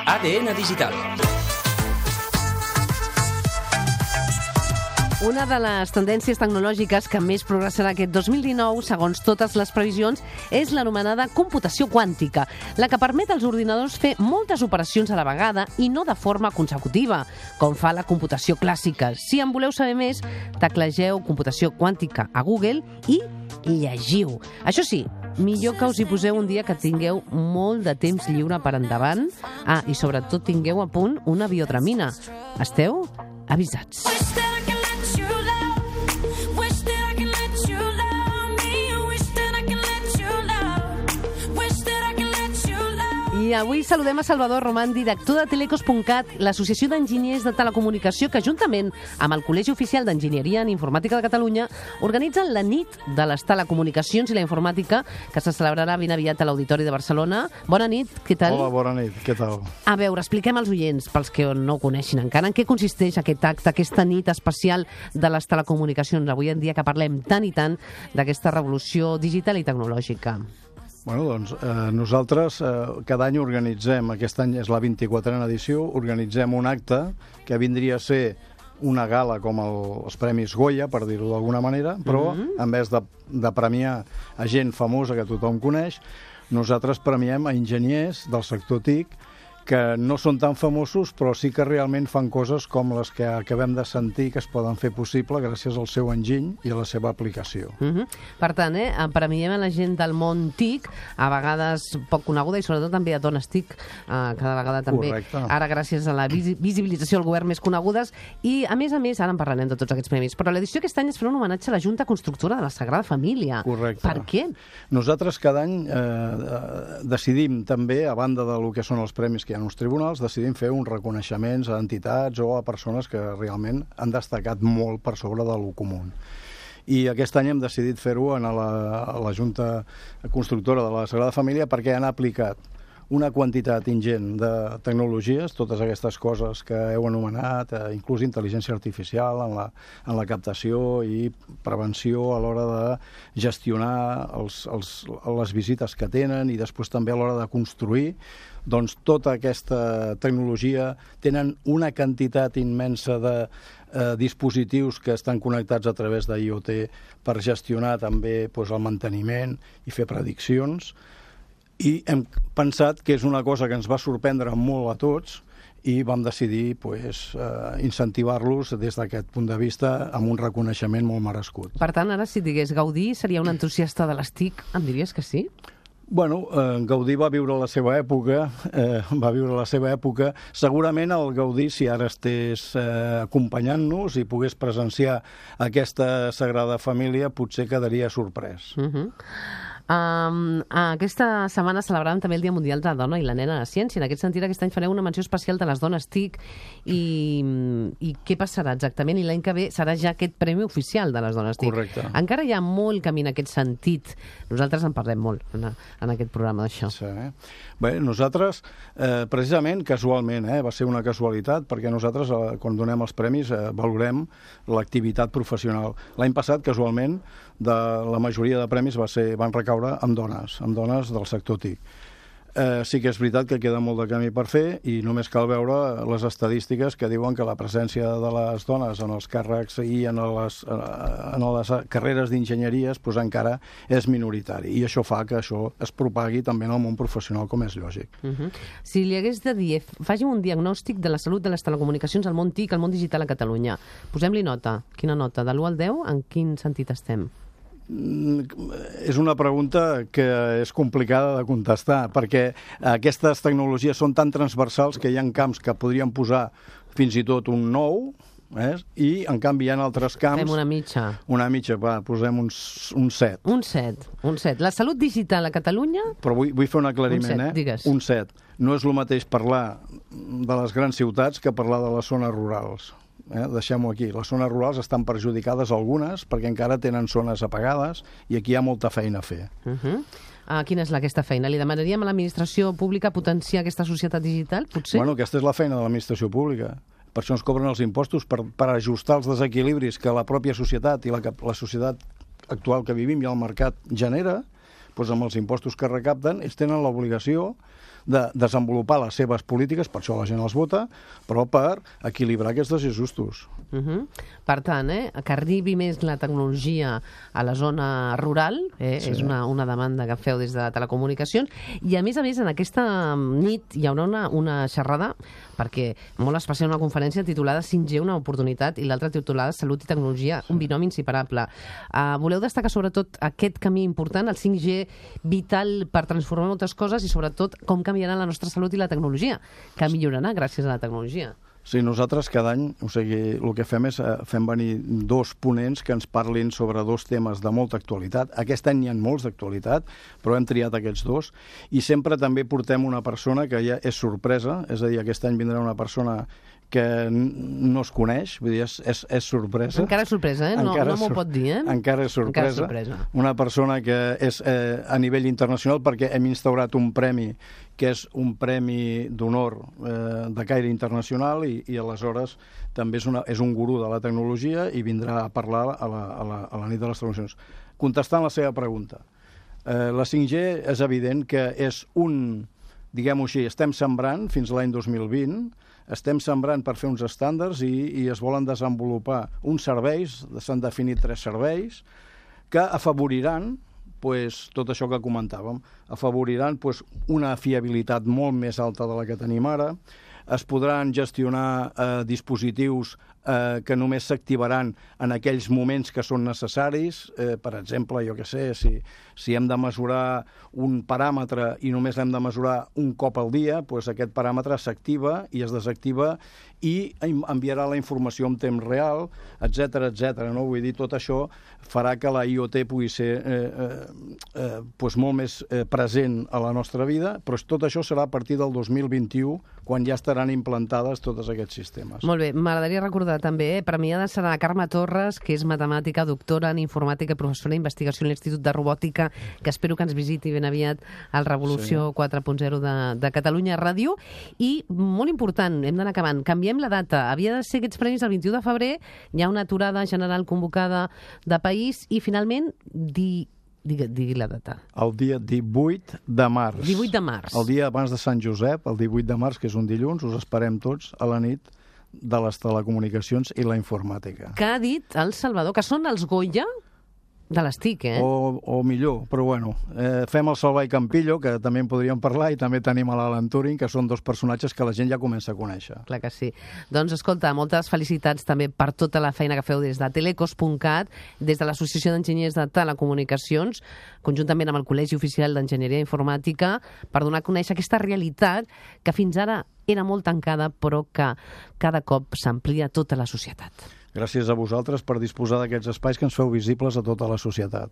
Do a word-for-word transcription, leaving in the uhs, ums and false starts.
A D N Digital. Una de les tendències tecnològiques que més progressarà aquest dos mil dinou, segons totes les previsions, és l'anomenada computació quàntica, la que permet als ordinadors fer moltes operacions a la vegada i no de forma consecutiva, com fa la computació clàssica. Si en voleu saber més, teclegeu computació quàntica a Google i llegiu. Això sí, millor que us hi poseu un dia que tingueu molt de temps lliure per endavant. Ah, i sobretot tingueu a punt una biodramina. Esteu avisats. I avui saludem a Salvador Román, director de Telecos punt cat, l'associació d'enginyers de telecomunicació que, juntament amb el Col·legi Oficial d'Enginyeria en Informàtica de Catalunya, organitzen la nit de les telecomunicacions i la informàtica, que se celebrarà ben aviat a l'Auditori de Barcelona. Bona nit, què tal? Hola, bona nit, què tal? A veure, expliquem als oients, pels que no ho coneixin encara, en què consisteix aquest acte, aquesta nit especial de les telecomunicacions, avui en dia que parlem tant i tant d'aquesta revolució digital i tecnològica. Bueno, doncs eh, nosaltres eh, cada any organitzem, aquest any és la vint-i-quatrena edició, organitzem un acte que vindria a ser una gala com el, els Premis Goya, per dir-ho d'alguna manera, però mm-hmm. en vez de, de premiar a gent famosa que tothom coneix, nosaltres premiem a enginyers del sector T I C que no són tan famosos, però sí que realment fan coses com les que acabem de sentir que es poden fer possible gràcies al seu enginy i a la seva aplicació. Mm-hmm. Per tant, eh, premiem a la gent del món T I C, a vegades poc coneguda, i sobretot també a dones T I C, eh, cada vegada també, Correcte. Ara gràcies a la vis visibilització del govern més conegudes, i a més a més, ara en parlarem de tots aquests premis, però l'edició aquest any es farà un homenatge a la Junta Constructora de la Sagrada Família. Correcte. Per què? Nosaltres cada any eh, decidim també, a banda del que són els premis que hi ha en els tribunals, decidim fer uns reconeixements a entitats o a persones que realment han destacat molt per sobre de lo comú. I aquest any hem decidit fer-ho a la, a la Junta Constructora de la Sagrada Família perquè han aplicat una quantitat ingent de tecnologies, totes aquestes coses que heu anomenat, eh, inclús intel·ligència artificial en la, en la captació i prevenció a l'hora de gestionar els, els, les visites que tenen i després també a l'hora de construir. Doncs tota aquesta tecnologia tenen una quantitat immensa de eh, dispositius que estan connectats a través de I O T per gestionar també doncs, el manteniment i fer prediccions. I hem pensat que és una cosa que ens va sorprendre molt a tots i vam decidir pues, eh, incentivar-los des d'aquest punt de vista amb un reconeixement molt merescut. Per tant, ara si digués Gaudí seria un entusiasta de les T I C, em diries que sí? Bueno, eh, Gaudí va viure la seva època, eh, va viure la seva època. Segurament el Gaudí, si ara estés eh, acompanyant-nos i pogués presenciar aquesta Sagrada Família, potser quedaria sorprès. Uh-huh. Um, aquesta setmana celebràvem també el Dia Mundial de la Dona i la Nena a la Ciència. En aquest sentit, aquest any fareu una menció especial de les dones T I C i, i què passarà exactament? I l'any que ve serà ja aquest premi oficial de les dones T I C. Correcte. Encara hi ha molt camí en aquest sentit. Nosaltres en parlem molt en, en aquest programa d'això. Sí. Bé, nosaltres, eh, precisament, casualment, eh, va ser una casualitat, perquè nosaltres, eh, quan donem els premis, eh, valorem l'activitat professional. L'any passat, casualment, de la majoria de premis va ser, van recaure amb dones, amb dones del sector T I C. Eh, sí que és veritat que queda molt de camí per fer i només cal veure les estadístiques que diuen que la presència de les dones en els càrrecs i en les, en les carreres d'enginyeries pues, encara és minoritari i això fa que això es propagui també en el món professional, com és lògic. Uh-huh. Si li hagués de dir, faci un diagnòstic de la salut de les telecomunicacions al món T I C, al món digital a Catalunya. Posem-li nota. Quina nota? De l'u al deu, en quin sentit estem? És una pregunta que és complicada de contestar, perquè aquestes tecnologies són tan transversals que hi ha camps que podríem posar fins i tot un nou, eh? I en canvi hi ha altres camps... Fem una mitja. Una mitja, va, posem un, un set. Un set, un set. La salut digital a Catalunya... Però vull, vull fer un aclariment, un set, eh? Digues. Un set. No és el mateix parlar de les grans ciutats que parlar de les zones rurals. Eh? Deixem-ho aquí. Les zones rurals estan perjudicades algunes perquè encara tenen zones apagades i aquí hi ha molta feina a fer. Uh-huh. Uh, quina és la, aquesta feina? Li demanaríem a l'administració pública potenciar aquesta societat digital, potser? Bueno, aquesta és la feina de l'administració pública. Per això ens cobren els impostos, per, per ajustar els desequilibris que la pròpia societat i la, la societat actual que vivim i el mercat genera, doncs amb els impostos que recapten, ells tenen l'obligació de desenvolupar les seves polítiques, per això la gent els vota, però per equilibrar aquests desajustos. Uh -huh. Per tant, eh, que arribi més la tecnologia a la zona rural, eh, sí. és una, una demanda que feu des de Telecomunicacions, i a més a més en aquesta nit hi haurà una, una xerrada, perquè molt especial, una conferència titulada cinc G, una oportunitat, i l'altra titulada Salut i Tecnologia, un binomi inseparable. Uh, voleu destacar sobretot aquest camí important, el cinc G vital per transformar moltes coses i sobretot com canviarà la nostra salut i la tecnologia, que millorarà gràcies a la tecnologia. Sí, nosaltres cada any, o sigui, el que fem és eh, fem venir dos ponents que ens parlin sobre dos temes de molta actualitat. Aquest any n'hi ha molts d'actualitat, però hem triat aquests dos. I sempre també portem una persona que ja és sorpresa, és a dir, aquest any vindrà una persona que no es coneix, vull dir, és, és, és sorpresa. Encara és sorpresa, eh? No, no m'ho pot dir, eh? Encara és sorpresa. Encara és sorpresa. Una persona que és eh, a nivell internacional, perquè hem instaurat un premi que és un premi d'honor eh, de caire internacional i, i aleshores també és, una, és un gurú de la tecnologia i vindrà a parlar a la, a la, a la nit de les tecnologies. Contestant la seva pregunta, eh, la cinc G és evident que és un, diguem-ho així, estem sembrant fins l'any dos mil vint, estem sembrant per fer uns estàndards i, i es volen desenvolupar uns serveis, s'han definit tres serveis, que afavoriran pues, tot això que comentàvem, afavoriran pues, una fiabilitat molt més alta de la que tenim ara, es podran gestionar eh, dispositius eh, que només s'activaran en aquells moments que són necessaris. Eh, per exemple, jo què sé, si, si hem de mesurar un paràmetre i només l'hem de mesurar un cop al dia, doncs aquest paràmetre s'activa i es desactiva i enviarà la informació en temps real, etcètera, etcètera. No? Vull dir, tot això farà que la I O T pugui ser eh, eh, eh, doncs molt més eh, present a la nostra vida, però tot això serà a partir del dos mil vint-i-u, quan ja estaran implantades tots aquests sistemes. Molt bé, m'agradaria recordar també, eh, premiada serà Carme Torres, que és matemàtica, doctora en informàtica i professora d'investigació a l'Institut de Robòtica, que espero que ens visiti ben aviat al Revolució sí. quatre punt zero de, de Catalunya Ràdio. I, molt important, hem d'anar acabant, canviem la data. Havia de ser aquests premis el vint-i-u de febrer, hi ha una aturada general convocada de país i, finalment, di... Digui, digui la data. El dia divuit de març. divuit de març. El dia abans de Sant Josep, el divuit de març, que és un dilluns, us esperem tots a la nit de les telecomunicacions i la informàtica. Que ha dit el Salvador, que són els Goya de les T I C, eh? O, o millor, però bueno. Eh, fem el Salvà i Campillo, que també en podríem parlar, i també tenim a l'Alan Turing, que són dos personatges que la gent ja comença a conèixer. Clar que sí. Doncs, escolta, moltes felicitats també per tota la feina que feu des de telecos punt cat, des de l'Associació d'Enginyers de Telecomunicacions, conjuntament amb el Col·legi Oficial d'Enginyeria Informàtica, per donar a conèixer aquesta realitat que fins ara era molt tancada, però que cada cop s'amplia a tota la societat. Gràcies a vosaltres per disposar d'aquests espais que ens feu visibles a tota la societat.